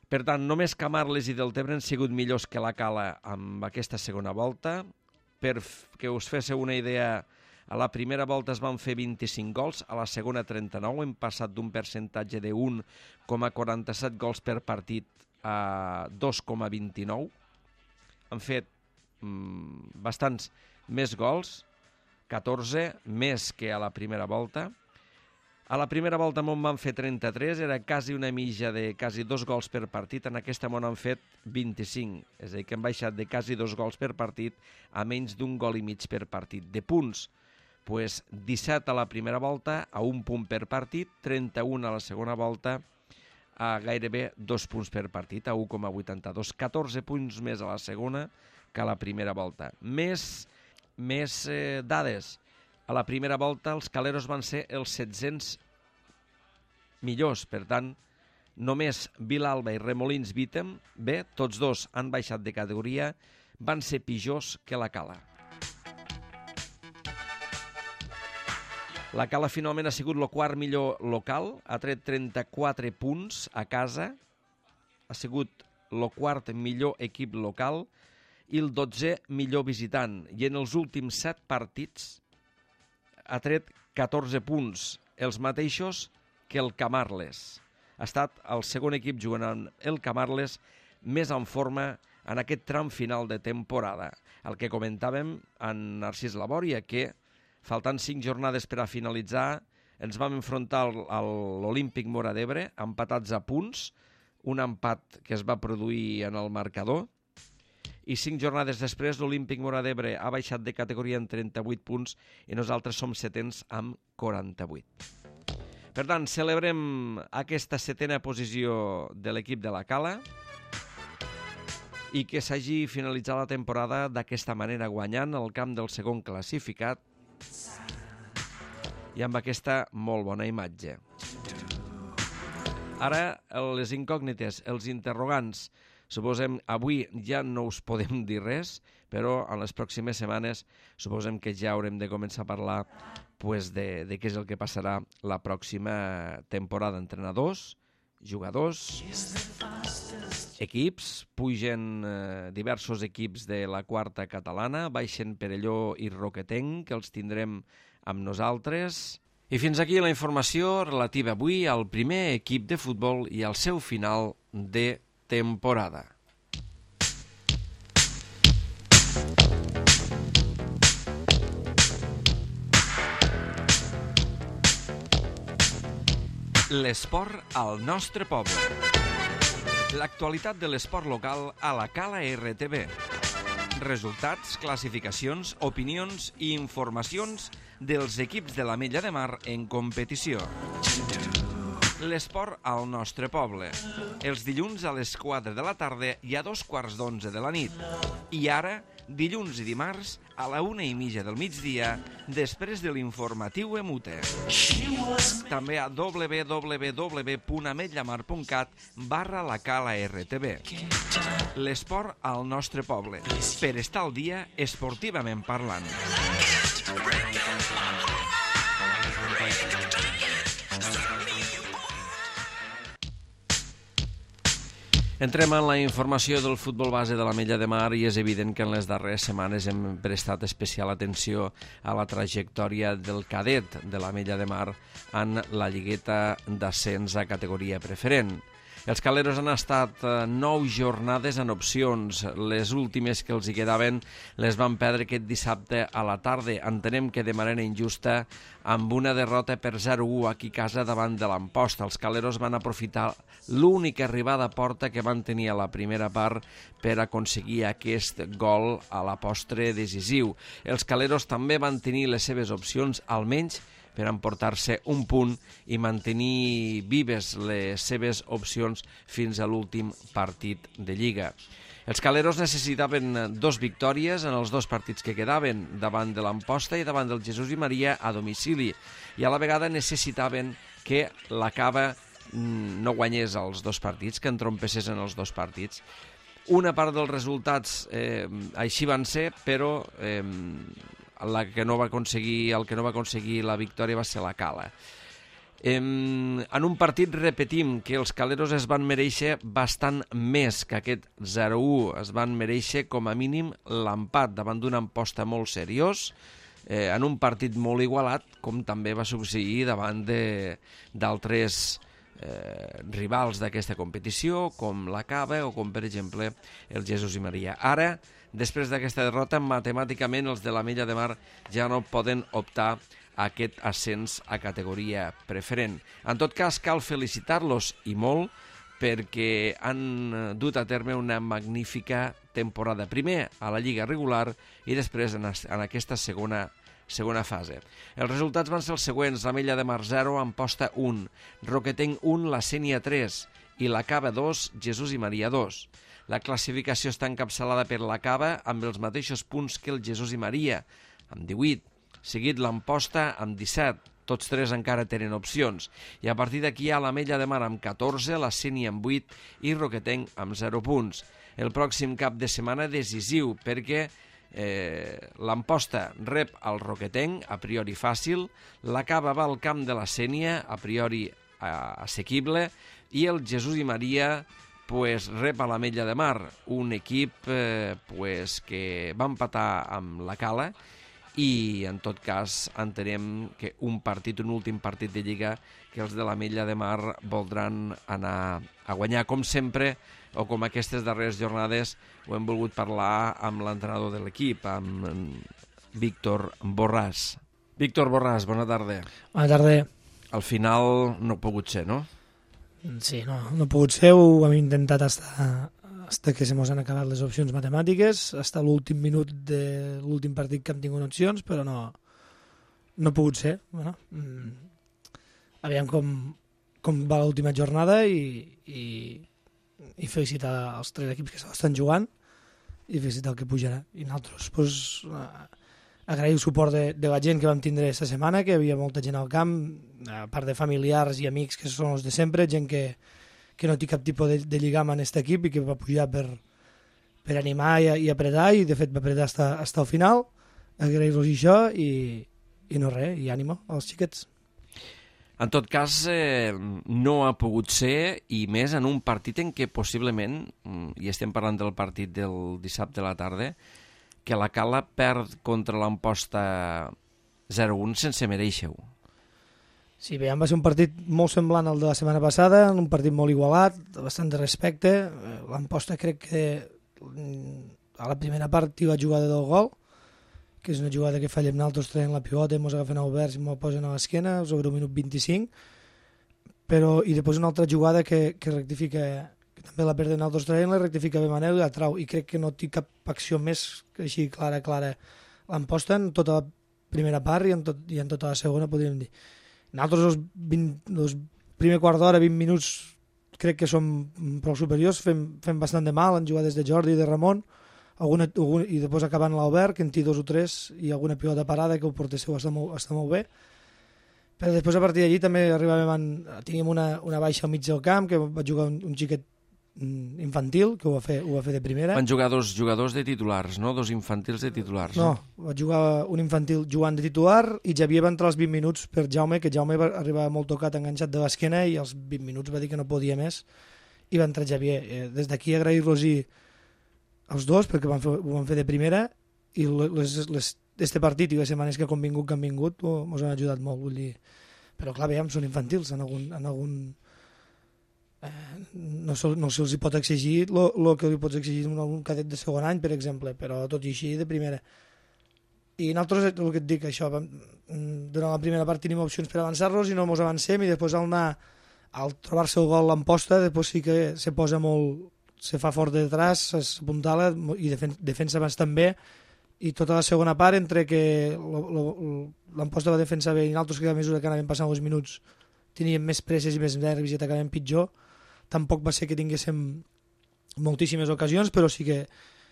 Per tant, només Camarles i Deltebre han sigut millors que la Cala amb aquesta segona volta. Per que us féssiu una idea, a la primera volta es van fer vint-i-cinc gols, a la segona trenta-nou, hem passat d'un percentatge de un coma quaranta-set gols per partit a dos coma vint-i-nou. Han fet mmm, bastants més gols, catorze, més que a la primera volta. A la primera volta m'on van fer trenta-tres, era quasi una mitja de quasi dos gols per partit, en aquesta m'on han fet vint-i-cinc, és a dir, que hem baixat de quasi dos gols per partit a menys d'un gol i mig per partit. De punts, pues, disset a la primera volta, a un punt per partit, trenta-un a la segona volta, a gairebé dos punts per partit, a un coma vuitanta-dos, catorze punts més a la segona que a la primera volta. Més, més eh, dades. A la primera volta els caleros van ser els set-cents millors, per tant, només Vilalba i Remolins Vítem, bé, tots dos han baixat de categoria, van ser pitjors que la Cala. La Cala finalment ha sigut el quart millor local, ha tret trenta-quatre punts a casa, ha sigut el quart millor equip local i el dotzè millor visitant, i en els últims set partits ha tret catorze punts, els mateixos que el Camarles. Ha estat el segon equip jugant amb el Camarles més en forma en aquest tram final de temporada. El que comentàvem en Narcís Labòria, que faltant cinc jornades per a finalitzar, ens vam enfrontar a l'Olímpic Móra d'Ebre, empatats a punts, un empat que es va produir en el marcador, i cinc jornades després l'Olímpic Móra d'Ebre ha baixat de categoria en trenta-vuit punts i nosaltres som setens amb quaranta-vuit. Per tant, celebrem aquesta setena posició de l'equip de la Cala i que s'hagi finalitzat la temporada d'aquesta manera, guanyant el camp del segon classificat i amb aquesta molt bona imatge. Ara, les incògnites, els interrogants. Suposem, avui ja no us podem dir res, però en les pròximes setmanes suposem que ja haurem de començar a parlar pues, de, de què és el que passarà la pròxima temporada. Entrenadors, jugadors, equips, pugen eh, diversos equips de la quarta catalana, baixen Perelló i Roquetenc, que els tindrem amb nosaltres. I fins aquí la informació relativa avui al primer equip de futbol i al seu final de temporada. L'esport al nostre poble. L'actualitat de l'esport local a la Cala R T V. Resultats, classificacions, opinions i informacions dels equips de l'Ametlla de Mar en competició. l'esport al nostre poble. Els dilluns a les quatre de la tarda i a dos quarts d'onze de la nit. I ara, dilluns i dimarts, a la una i mitja del migdia, després de l'informatiu Emute. També a w w w punt ametlla mar punt cat barra la cala R T B. L'esport al nostre poble, per estar al dia esportivament parlant. Entrem en la informació del futbol base de l'Ametlla de Mar i és evident que en les darreres setmanes hem prestat especial atenció a la trajectòria del cadet de l'Ametlla de Mar en la lligueta d'ascens a categoria preferent. Els caleros han estat nou jornades en opcions. Les últimes que els hi quedaven les van perdre aquest dissabte a la tarda. Entenem que de manera injusta, amb una derrota per zero a u aquí a casa davant de l'Amposta. Els caleros van aprofitar l'única arribada a porta que van tenir a la primera part per aconseguir aquest gol a la postre decisiu. Els caleros també van tenir les seves opcions, almenys per emportar-se un punt i mantenir vives les seves opcions fins a l'últim partit de Lliga. Els caleros necessitaven dos victòries en els dos partits que quedaven, davant de l'Amposta i davant del Jesús i Maria a domicili, i a la vegada necessitaven que la Cava no guanyés els dos partits, que entrompessés en els dos partits. Una part dels resultats eh, així van ser, però eh, la que no va aconseguir, el que no va aconseguir la victòria va ser la Cala. En, en un partit repetim que els caleros es van mereixer bastant més que aquest zero a u, es van mereixer com a mínim l'empat davant d'una Amposta molt seriós, eh, en un partit molt igualat, com també va succeir davant d'altres eh, rivals d'aquesta competició, com la Cava o com per exemple el Jesús i Maria. Ara, després d'aquesta derrota, matemàticament els de l'Ametlla de Mar ja no poden optar a aquest ascens a categoria preferent. En tot cas, cal felicitar-los i molt perquè han dut a terme una magnífica temporada. Primer a la Lliga regular i després en, en aquesta segona, segona fase. Els resultats van ser els següents: l'Ametlla de Mar zero, Amposta un, Roquetenc un, la Sénia tres i la Cava dos, Jesús i Maria dos. La classificació està encapçalada per la Cava amb els mateixos punts que el Jesús i Maria, amb divuit, seguit l'Amposta amb disset, tots tres encara tenen opcions, i a partir d'aquí hi ha l'Ametlla de Mar amb catorze, la Sénia amb vuit i Roquetenc amb zero punts. El pròxim cap de setmana decisiu perquè eh, l'Amposta rep el Roquetenc, a priori fàcil, la Cava va al camp de la Sénia, a priori eh, assequible, i el Jesús i Maria pues, rep a l'Ametlla de Mar, un equip eh, pues, que va empatar amb la Cala i en tot cas entenem que un partit, un últim partit de Lliga que els de l'Ametlla de Mar voldran anar a guanyar, com sempre o com aquestes darreres jornades ho hem volgut parlar amb l'entrenador de l'equip, amb Víctor Borràs. Víctor Borràs, bona tarda. Bona tarda. Al final no ha pogut ser, no? Sí, no, no ha pogut ser, ho hem intentat hasta, hasta que se mos han acabat les opcions matemàtiques, hasta l'últim minut de l'últim partit que hem tingut opcions, però no, no ha pogut ser. Bueno, mm, aviam com, com va l'última jornada i, i, i felicitar els tres equips que s'estan jugant i felicitar el que pujarà. I nosaltres, pues, agrair el suport de, de la gent que vam tindre aquesta setmana, que hi havia molta gent al camp, a part de familiars i amics que són els de sempre, gent que, que no té cap tipus de, de lligam en aquest equip i que va pujar per, per animar i, i apretar, i de fet va apretar fins al final. Agrair-los això i, i no res, i ànimo als xiquets. En tot cas, eh, no ha pogut ser, i més en un partit en què possiblement, i estem parlant del partit del dissabte a la tarda, que la Cala perd contra l'Amposta zero a un sense mereixer-ho. Sí, bé, va ser un partit molt semblant al de la setmana passada, un partit molt igualat, bastant de respecte. L'Amposta crec que a la primera part hi va jugada del gol, que és una jugada que fallem nosaltres traient la pivota, ens agafen oberts i ens posen a l'esquena sobre un minut vint-i-cinc, però i després una altra jugada que, que rectifica, que també la perden nosaltres traient, la rectifica bé Manel i la trau, i crec que no té cap acció més que així clara, clara. L'Amposta en tota la primera part i en, tot, i en tota la segona, podríem dir. Nosaltres els, vint, els primer quart d'hora, vint minuts, crec que som prou superiors, fem, fem bastant de mal en jugades de Jordi i de Ramon, alguna, alguna, i després acabant l'Albert, que en té dos o tres, i alguna pilota parada que el porter seu està molt, està molt bé. Però després a partir d'allí també arribàvem en, teníem una, una baixa al mig del camp, que va jugar un, un xiquet infantil, que ho va, fer, ho va fer de primera. Van jugar dos jugadors de titulars, no? Dos infantils de titulars. No, eh? Va jugar un infantil jugant de titular i Javier va entrar als vint minuts per Jaume, que Jaume va arribar molt tocat, enganxat de l'esquena, i als vint minuts va dir que no podia més i va entrar Javier. Eh, des d'aquí agrair-los-hi els dos, perquè van fer, ho van fer de primera, i les, les, este partit i les setmanes que han vingut, que han vingut, ens han ajudat molt, vull dir. Però clar, veiem, són infantils, en algun... En algun eh, no, se, no se'ls pot exigir el que li pots exigir a un cadet de segon any, per exemple, però tot i així de primera. I nosaltres, el que et dic, això, durant la primera part tenim opcions per avançar-los i no ens avancem, i després al anar, al trobar-se el gol l'emposta, després sí que se posa molt, se fa fort de detrás, s'apuntala i defen defensa bastant bé, i tota la segona part, entre que l'emposta va defensar bé i nosaltres, que a mesura que anàvem passant els minuts teníem més presses i més nervis i acabàvem pitjor, tampoc va ser que tinguéssim moltíssimes ocasions, però sí que,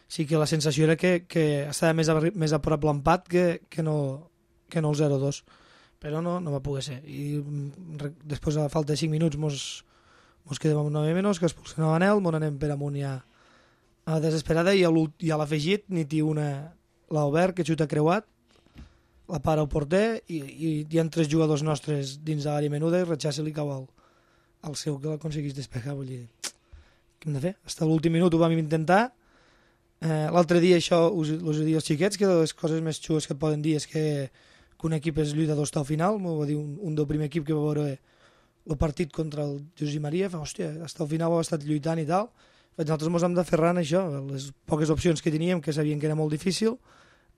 sí que la sensació era que, que estava més a, més a prop l'empat que, que, no, que no el zero dos, però no, no va poder ser. I després, a falta de cinc minuts, mos, mos quedem amb nou menys, que expulsen a Manel, mos anem per amunt ja a la desesperada, i a l'afegit n'hi té una... l'Albert, que xuta creuat, la para al porter, i, i hi ha tres jugadors nostres dins de l'àrea menuda i Ratxà li cau al, al seu, que l'aconseguís despejar. Vull dir, què hem de fer? Fins a l'últim minut ho vam intentar. Eh, L'altre dia, això us, us ho dic als xiquets, que les coses més xues que et poden dir és que, que un equip és lluitador fins al final. M'ho va dir un, un del primer equip que va veure el partit contra el Josep Maria, fa, hòstia, fins al final ho ha estat lluitant i tal. Nosaltres ens hem d'aferrar en això, les poques opcions que teníem, que sabien que era molt difícil,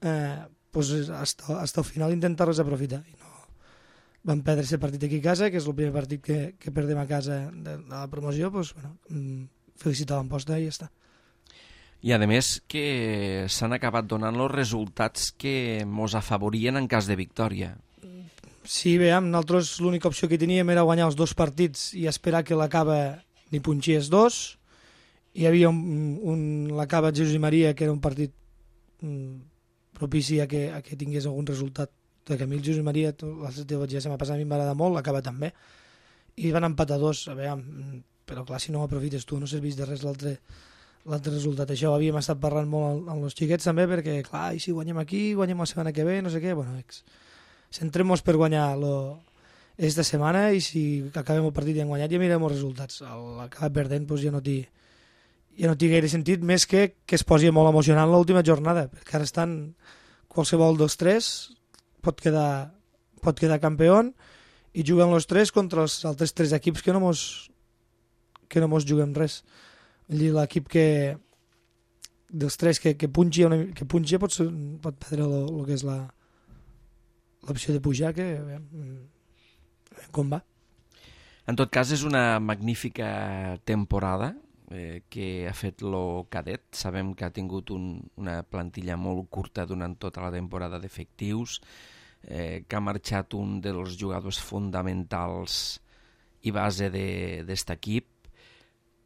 eh, pues hasta, hasta el final intentar-les aprofitar. I no, vam perdre aquest partit aquí a casa, que és el primer partit que, que perdem a casa de, de la promoció, pues, bueno, felicitar l'emposta i ja està. I a més que s'han acabat donant els resultats que mos afavorien en cas de victòria. Sí, veiem, nosaltres l'única opció que teníem era guanyar els dos partits i esperar que l'acaba ni punxies dos. Hi havia un, un l'acaba Jesús i Maria, que era un partit mm, propici a que, a que tingués algun resultat. De que a mi el Jesús i Maria, la teva ja se m'ha passat, a mi m'agrada molt, l'acaba també. I van empatar dos, a veure, però clar, si no ho aprofites tu, no serveix de res l'altre l'altre resultat. Això ho havíem estat parlant molt amb els xiquets també, perquè clar, i si guanyem aquí, guanyem la setmana que ve, no sé què, bueno, ex, centrem-nos per guanyar lo, esta setmana, i si acabem el partit i hem guanyat ja mirem els resultats. L'acabar perdent, doncs ja no t'hi ja no té gaire sentit, més que que es posi molt emocionant l'última jornada, perquè ara estan qualsevol dels tres pot quedar, pot quedar campió i juguen els tres contra els altres tres equips que no mos, que no mos juguem res. Vull dir, l'equip que dels tres que, que punxi, una, que punxi pot, ser, pot perdre el que és la l'opció de pujar, que eh, com va. En tot cas, és una magnífica temporada eh, que ha fet lo cadet. Sabem que ha tingut un, una plantilla molt curta durant tota la temporada d'efectius, eh, que ha marxat un dels jugadors fonamentals i base d'este equip,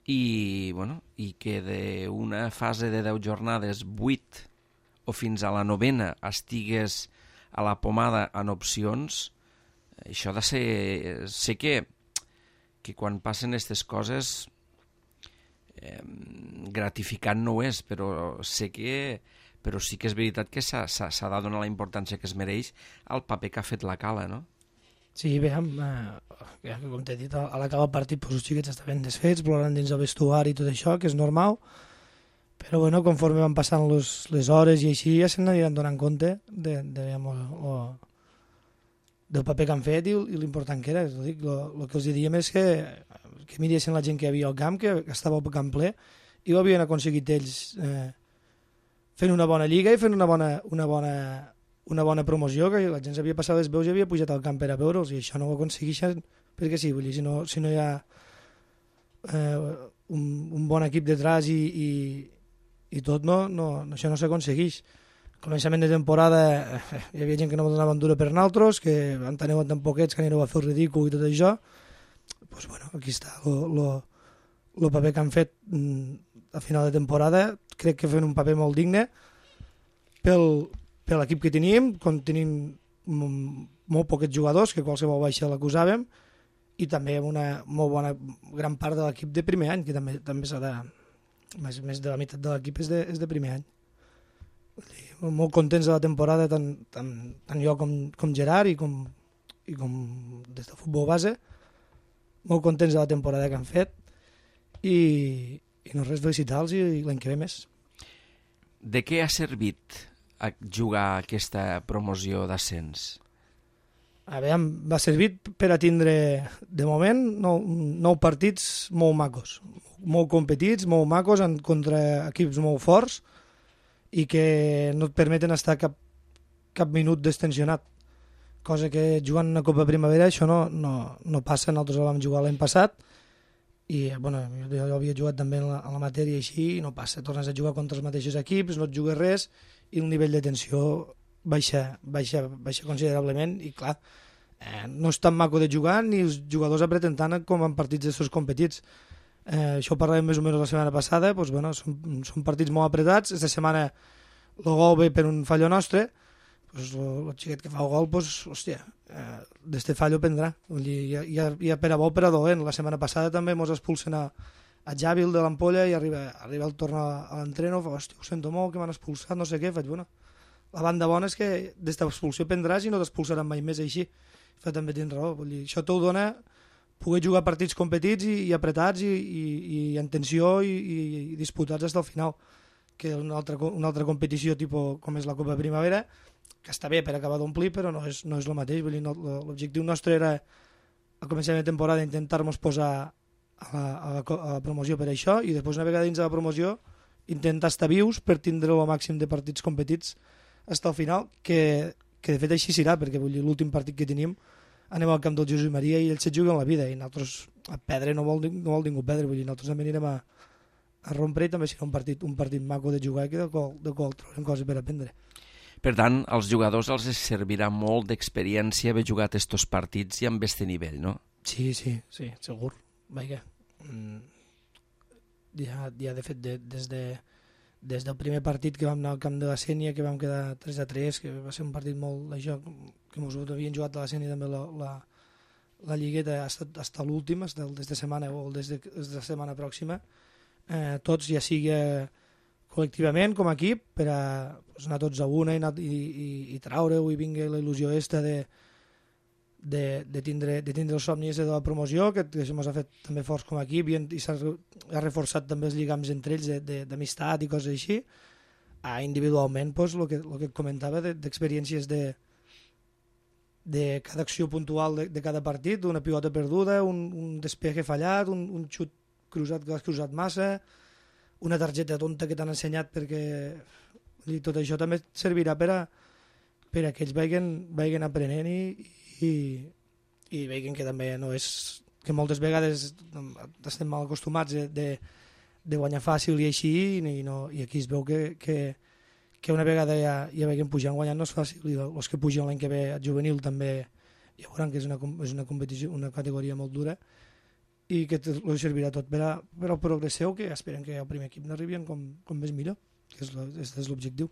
i, bueno, i que d'una fase de deu jornades, vuit o fins a la novena, estigués a la pomada en opcions. Això ha de ser... Sé que, que quan passen aquestes coses eh, gratificant no ho és, però sé que però sí que és veritat que s'ha de donar la importància que es mereix al paper que ha fet la Cala, no? Sí, bé, eh, com t'he dit, a l'acabar el partit doncs, els xiquets estaven desfets, plorant dins el vestuari i tot això, que és normal, però bueno, conforme van passant les, les hores i així ja se n'aniran donant compte de, de, de, o, del paper que han fet i, i l'important que era. El que els diem és que, que miressin la gent que hi havia al camp, que, que estava al camp ple, i ho havien aconseguit ells eh, fent una bona lliga i fent una bona, una bona, una bona promoció, que la gent s'havia passat les veus i havia pujat al camp per a veure'ls, i això no ho aconsegueixen perquè sí, vull dir, si no, si no hi ha eh, un, un bon equip detrás i, i, i tot, no, no, això no s'aconsegueix. Al començament de temporada eh, hi havia gent que no donaven dura per nosaltres, que en teneu tan poquets que anireu a fer el ridícul i tot això. pues, bueno, aquí està el paper que han fet a final de temporada. Crec que fan un paper molt digne pel, per l'equip que tenim, quan tenim molt poquets jugadors, que qualsevol baixa l'acusàvem, i també una molt bona gran part de l'equip de primer any, que també, també s'ha de... Més, més de la meitat de l'equip és, de, és de primer any. Molt contents de la temporada, tant, tant, tant jo com, com Gerard i com, i com des del futbol base. Molt contents de la temporada que han fet i, i no res, felicitar-los i, i l'any que ve més. De què ha servit a jugar aquesta promoció d'ascens? A veure, va servir per a tindre, de moment, nou, nou partits molt macos, molt competits, molt macos, en, contra equips molt forts i que no et permeten estar cap, cap minut destensionat. Cosa que jugant una Copa Primavera això no, no, no passa, nosaltres la vam jugar l'any passat i bueno, jo, jo havia jugat també en la, en la matèria així i no passa, tornes a jugar contra els mateixos equips, no et jugues res i el nivell de tensió baixa, baixa, baixa considerablement i clar, eh, no és tan maco de jugar ni els jugadors apreten tant com en partits d'estos competits. Eh, això ho parlàvem més o menys la setmana passada, doncs, bueno, són, són partits molt apretats, aquesta setmana el gol ve per un fallo nostre, doncs, el xiquet que fa el gol, doncs, hòstia, eh, d'este fallo prendrà. Vull dir, hi, ha, hi, ha, hi ha per a bo per a dolent. La setmana passada també ens expulsen a, a Jàbil de l'Ampolla i arriba, arriba el torn a, a l'entreno, fa, hòstia, ho sento molt, que m'han expulsat, no sé què, faig, bueno, la banda bona és que d'esta expulsió prendràs i no t'expulsaran mai més així. Fa també tens raó, vull dir, això t'ho dona poder jugar partits competits i, i apretats i, i, i en tensió i, i, i disputats fins al final, que una altra, una altra competició tipus com és la Copa Primavera, que està bé per acabar d'omplir, però no és, no és el mateix. Vull dir, no, l'objectiu nostre era al començament de temporada intentar-nos posar a la, a, la, a la promoció per això i després una vegada dins de la promoció intentar estar vius per tindre el màxim de partits competits fins al final, que, que de fet així serà, perquè vull dir, l'últim partit que tenim anem al camp del Josep Maria i ells se juguen la vida i nosaltres a perdre no vol, no vol ningú perdre, vull dir, nosaltres també anirem a, a rompre i també serà un partit, un partit maco de jugar i del qual, del qual trobarem coses per aprendre. Per tant, als jugadors els servirà molt d'experiència haver jugat estos partits i amb este nivell, no? Sí, sí, sí, segur. Vaja, mm, ja, ja de fet de, des de des del primer partit que vam anar al camp de la Sènia, que vam quedar tres a tres, que va ser un partit molt de joc, que ens havien jugat a la Sènia també la, la, la lligueta fins a l'últim, des de setmana o des de, des de la setmana pròxima, eh, tots ja sigui col·lectivament com a equip per a pues, anar tots a una i, anar, i, i, i traure-ho i vingui la il·lusió esta de De, de, tindre, de tindre el somni de la promoció, que, que ens ha fet també forts com a equip i, i s'ha ha reforçat també els lligams entre ells d'amistat i coses així. Ah, individualment, pues, el, que, el que et comentava d'experiències de, de cada acció puntual de, de cada partit, una pilota perduda, un, un despeje fallat, un, un xut cruzat que l'has cruzat massa, una targeta tonta que t'han ensenyat perquè i tot això també servirà per a, per a que ells vagin, vagin aprenent i, i, i veien que també no és que moltes vegades estem mal acostumats de, de, de guanyar fàcil i així i, no, i aquí es veu que, que, que una vegada ja, ja veiem pujant guanyant no és fàcil i els que pugen l'any que ve a juvenil també ja veuran que és una, és una competició, una categoria molt dura i que els servirà tot per, a, per al progrés seu, que esperen que el primer equip n'arribin com, com més millor, que és l'objectiu.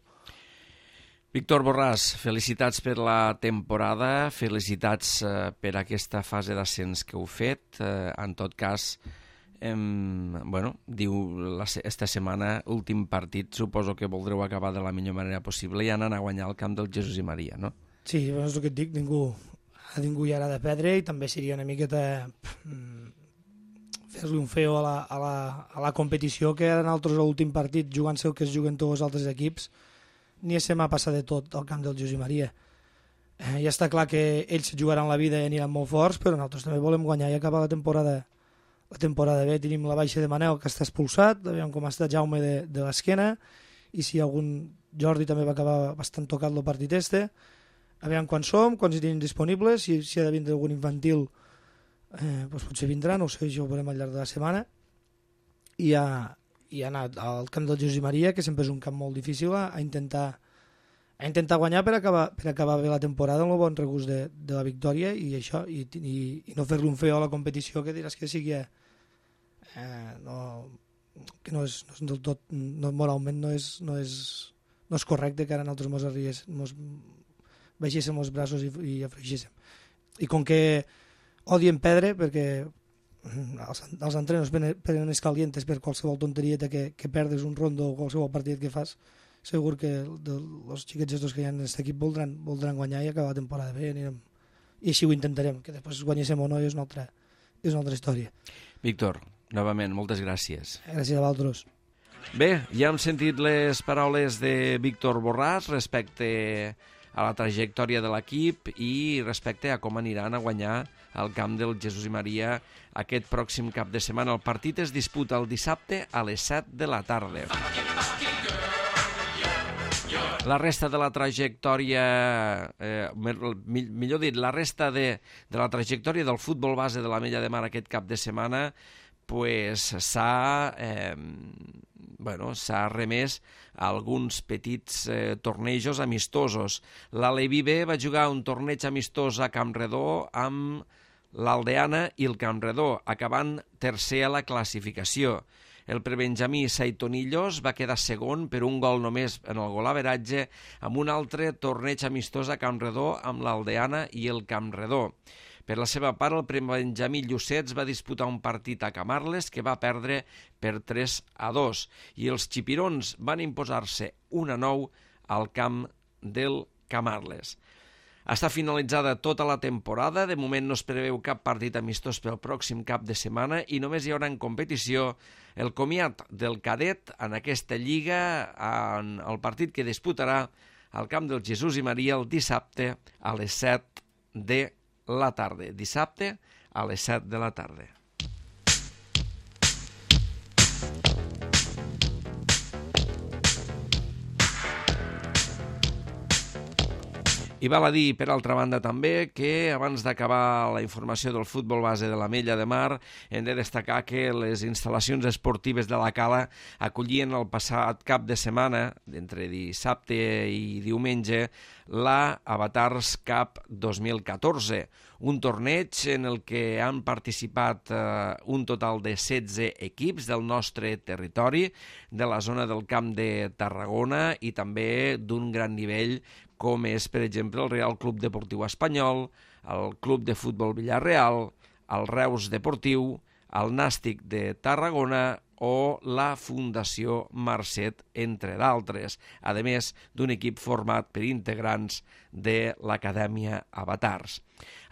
Víctor Borràs, felicitats per la temporada, felicitats eh, per aquesta fase d'ascens que heu fet. Eh, en tot cas, eh, bueno, diu la, esta setmana, últim partit, suposo que voldreu acabar de la millor manera possible i anar a guanyar el camp del Jesús i Maria, no? Sí, és el que et dic, ningú, a ningú hi ha de perdre i també seria una miqueta fer-li un feo a la, a, la, a la competició que eren altres l'últim partit jugant-se el que es juguen tots els altres equips. Ni se m'ha passat de tot al camp del Josep Maria. Eh, ja està clar que ells jugaran la vida i aniran molt forts, però nosaltres també volem guanyar i acabar la temporada la temporada bé. Tenim la baixa de Manel, que està expulsat, veiem com està Jaume de, de l'esquena, i si algun Jordi també va acabar bastant tocat el partit este. A veure quan som, quan hi tenim disponibles, si, si ha de vindre algun infantil, eh, doncs potser vindrà, no ho sé, això ho veurem al llarg de la setmana. I a... i anar al camp del Josep Maria, que sempre és un camp molt difícil, a intentar, a intentar guanyar per acabar, per acabar bé la temporada amb el bon regust de, de la victòria i això, i, i, i no fer-li un feo a la competició que diràs que sigui eh, no, que no és, no és del tot, no, moralment no és, no, és, no és correcte que ara nosaltres mos arribés, mos baixéssim els braços i, i afregíssim. I com que odien perdre, perquè els, els entrenos prenen escalientes per qualsevol tonteria que, que perdes un rondo o qualsevol partit que fas, segur que els xiquets estos que hi ha en aquest equip voldran, voldran guanyar i acabar la temporada bé. Anirem, i així ho intentarem, que després guanyéssim o no és una altra, és una altra història. Víctor, novament, moltes gràcies. Gràcies a vosaltres. Bé, ja hem sentit les paraules de Víctor Borràs respecte a la trajectòria de l'equip i respecte a com aniran a guanyar al camp del Jesús i Maria aquest pròxim cap de setmana. El partit es disputa el dissabte a les set de la tarda. La resta de la trajectòria, eh, millor dit, la resta de, de la trajectòria del futbol base de l'Ametlla de Mar aquest cap de setmana pues, s'ha eh, bueno, s'ha remès a alguns petits eh, tornejos amistosos. L'Aleví B va jugar un torneig amistós a Campredó amb l'Aldeana i el Campredó, acabant tercer a la classificació. El prebenjamí Saitonillos va quedar segon per un gol només en el golaveratge amb un altre torneig amistós a Campredó amb l'Aldeana i el Campredó. Per la seva part, el prebenjamí Llucets va disputar un partit a Camarles que va perdre per tres a dos i els xipirons van imposar-se un a nou al camp del Camarles. Està finalitzada tota la temporada, de moment no es preveu cap partit amistós pel pròxim cap de setmana i només hi haurà en competició el comiat del cadet en aquesta lliga en el partit que disputarà al camp del Jesús i Maria el dissabte a les set de la tarda. Dissabte a les set de la tarda. I val a dir, per altra banda, també, que abans d'acabar la informació del futbol base de l'Ametlla de Mar, hem de destacar que les instal·lacions esportives de la Cala acollien el passat cap de setmana, d'entre dissabte i diumenge, la Avatars Cup dos mil catorze, un torneig en el que han participat eh, un total de setze equips del nostre territori, de la zona del Camp de Tarragona i també d'un gran nivell com és, per exemple, el Real Club Deportiu Espanyol, el Club de Futbol Villarreal, el Reus Deportiu, el Nàstic de Tarragona o la Fundació Marcet, entre d'altres, a més d'un equip format per integrants de l'Acadèmia Avatars.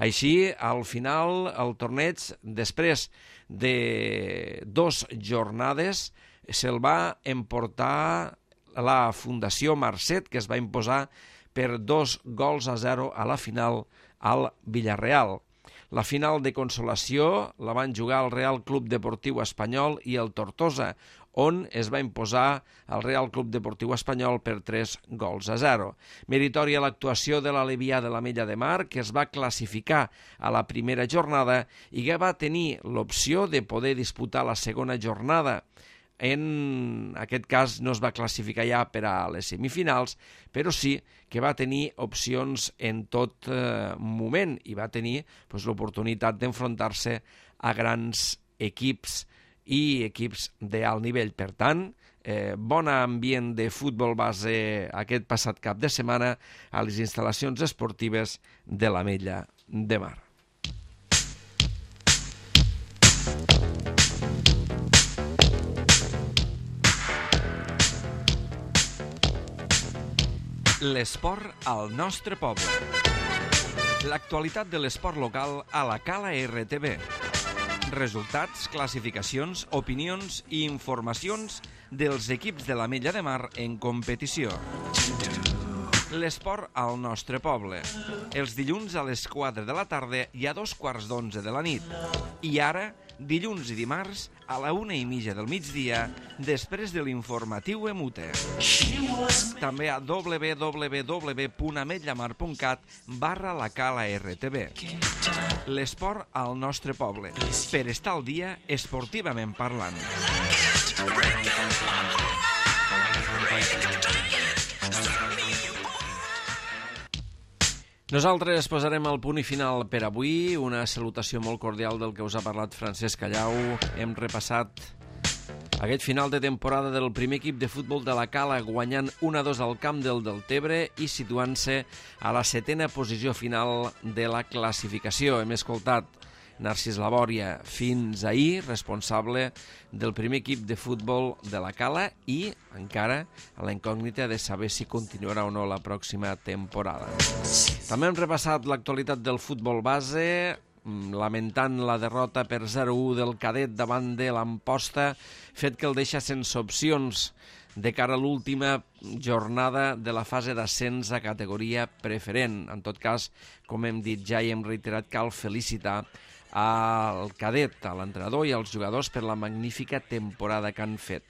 Així, al final, el torneig, després de dos jornades, se'l va emportar la Fundació Marcet, que es va imposar per dos gols a zero a la final al Villarreal. La final de consolació la van jugar el Real Club Deportiu Espanyol i el Tortosa, on es va imposar el Real Club Deportiu Espanyol per tres gols a zero. Meritòria l'actuació de l'Alevià de l'Ametlla de Mar, que es va classificar a la primera jornada i que va tenir l'opció de poder disputar la segona jornada. En aquest cas no es va classificar ja per a les semifinals, però sí que va tenir opcions en tot eh, moment i va tenir pues, l'oportunitat d'enfrontar-se a grans equips i equips d'alt nivell. Per tant, eh, bon ambient de futbol base aquest passat cap de setmana a les instal·lacions esportives de l'Ametlla de Mar. L'esport al nostre poble. L'actualitat de l'esport local a la Cala R T V. Resultats, classificacions, opinions i informacions dels equips de l'Ametlla de Mar en competició. L'esport al nostre poble. Els dilluns a les quatre de la tarda i a dos quarts d'onze de la nit. I ara, dilluns i dimarts, a la una i mitja del migdia, després de l'informatiu Emute. També a w w w punt ametllamar punt cat barra la Cala R T V. L'esport al nostre poble. Per estar al dia, esportivament parlant. Nosaltres posarem el punt i final per avui. Una salutació molt cordial del que us ha parlat Francesc Callau. Hem repassat aquest final de temporada del primer equip de futbol de la Cala, guanyant un a dos al camp del Deltebre i situant-se a la setena posició final de la classificació. Hem escoltat Narcís Labòria, fins ahir responsable del primer equip de futbol de la Cala i encara a la incògnita de saber si continuarà o no la pròxima temporada. També hem repassat l'actualitat del futbol base, lamentant la derrota per zero a u del Cadet davant de l'Amposta, fet que el deixa sense opcions de cara a l'última jornada de la fase d'ascens a categoria preferent. En tot cas, com hem dit ja i hem reiterat, cal felicitar al Cadet, a l'entrenador i als jugadors per la magnífica temporada que han fet.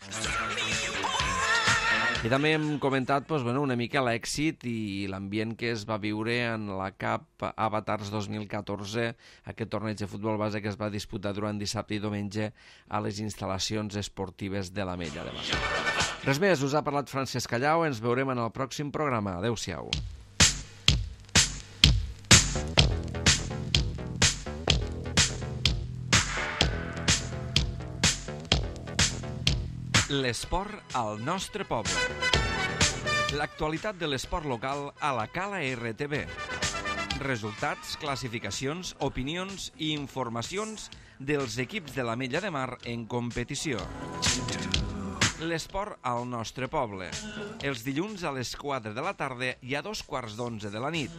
I també hem comentat doncs, bueno, una mica l'èxit i l'ambient que es va viure en la Cup Avatars dos mil catorze, aquest torneig de futbol base que es va disputar durant dissabte i diumenge a les instal·lacions esportives de l'Ametlla de Mar. Res més, us ha parlat Francesc Callau, ens veurem en el pròxim programa. Adéu-siau. L'esport al nostre poble. L'actualitat de l'esport local a la Cala R T V. Resultats, classificacions, opinions i informacions dels equips de l'Ametlla de Mar en competició. L'esport al nostre poble. Els dilluns a les quatre de la tarda i a dos quarts d'onze de la nit.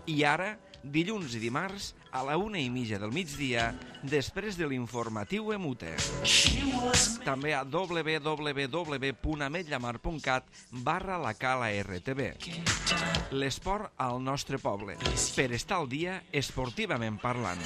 I ara, dilluns i dimarts, a la una i mitja del migdia, després de l'informatiu Emute. També a w w w punt ametllamar punt cat barra la Cala R T V. L'esport al nostre poble. Per estar al dia, esportivament parlant.